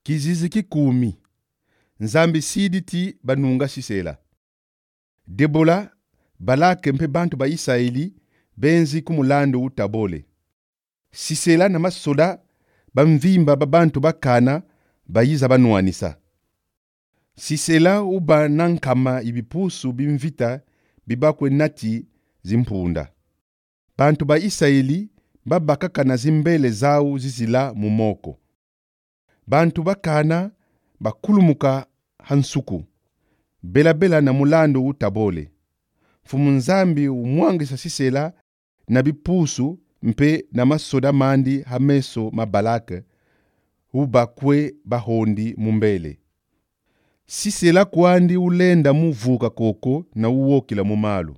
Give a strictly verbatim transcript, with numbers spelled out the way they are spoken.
Kizizi kikumi. Nzambi siditi banunga Sisera. Debola, Balake mpe bantu ba Israeli benzi kumulandu utabole. Sisera na masoda bamvimba babantu bakana bayiza banuanisa. Sisera uba nankama ibipusu bimvita bibakwe nati zimpunda. Bantu ba Israeli babakakana zimbele zao zizila mumoko. Bantu bakana bakulumuka hansuku. Bela bela na mulando utabole. Fumu nzambi umwangisa Sisera na bipusu mpe na masoda mandi hameso mabalake ubakwe bahondi mumbele. Sisera kwandi ulenda muvuka koko na uwokila mumalu.